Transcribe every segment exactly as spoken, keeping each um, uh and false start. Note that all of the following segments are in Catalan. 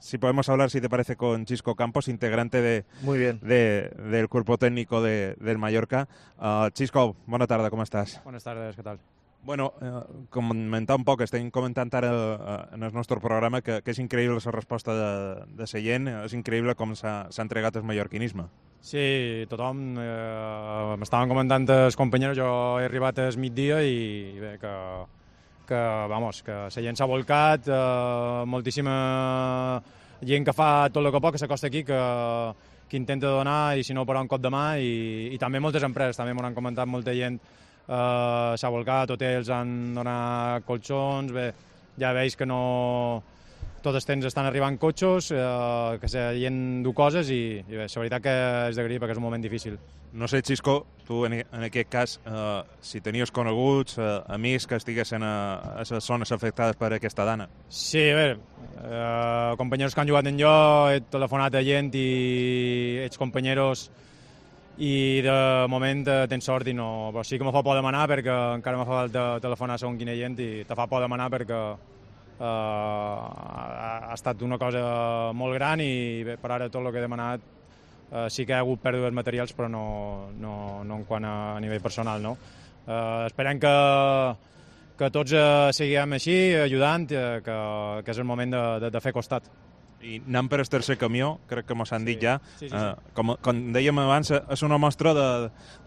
si podemos hablar, si te parece, con Xisco Campos, integrante de, Muy bien. de, del cuerpo técnico de, del Mallorca. Uh, Xisco, bona tarda, com estàs? Buenas tardes, ¿qué tal? Bueno, eh, comentar un poc, estem comentant ara eh, en el nostre programa que, que és increïble la resposta de, de Sallent, és increïble com s'ha entregat el mallorquinisme. Sí, tothom, eh, m'estaven comentant els companys, jo he arribat al migdia i, i bé, que, que, vamos, que Sallent s'ha volcat, eh, moltíssima gent que fa tot el que pot, que s'acosta aquí, que, que intenta donar i si no posar un cop de mà i, i també moltes empreses, també m'ho han comentat molta gent. Uh, s'ha volcat, hotels han donat colxons, bé, ja veus que no... Tots els temps estan arribant cotxos, uh, que la gent du coses i, i bé, la veritat que és d'agrair perquè és un moment difícil. No sé, Xisco, tu en, en aquest cas, uh, si tenies coneguts, uh, amics que estiguessin a, a les zones afectades per aquesta dana. Sí, a veure, uh, companys que han jugat en jo, he telefonat a gent i ets companys i de moment eh, tens sort i no... Però sí que me fa por demanar perquè encara me fa falta telefonar segons quina gent i te fa por demanar perquè eh, ha estat una cosa molt gran i bé, per ara tot el que he demanat eh, sí que hi ha hagut pèrdues materials però no, no, no en quant a, a nivell personal, no? Eh, esperem que, que tots eh, seguim així, ajudant, eh, que, que és el moment de, de, de fer costat. I anant per el tercer camió, crec que mos han dit sí. ja, sí, sí, sí. Eh, com, com dèiem abans, és una mostra de,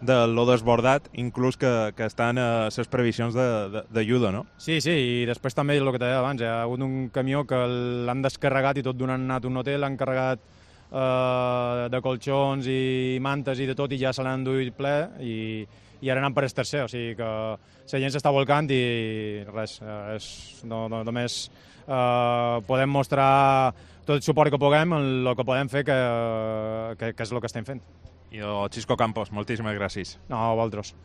de lo desbordat, inclús que, que estan a les previsions d'ajuda, no? Sí, sí, i després també el que deia abans, hi ha hagut un camió que l'han descarregat i tot d'on han anat un hotel, l'han carregat eh, de colxons i mantes i de tot i ja se l'han enduit ple i, i ara anant per el tercer, o sigui que la gent s'està volcant i res, és, no, no, només eh, podem mostrar tot el suport que puguem en el que podem fer, que, que, que és el que estem fent. I el Xisco Campos, moltíssimes gràcies. No, a vosaltres.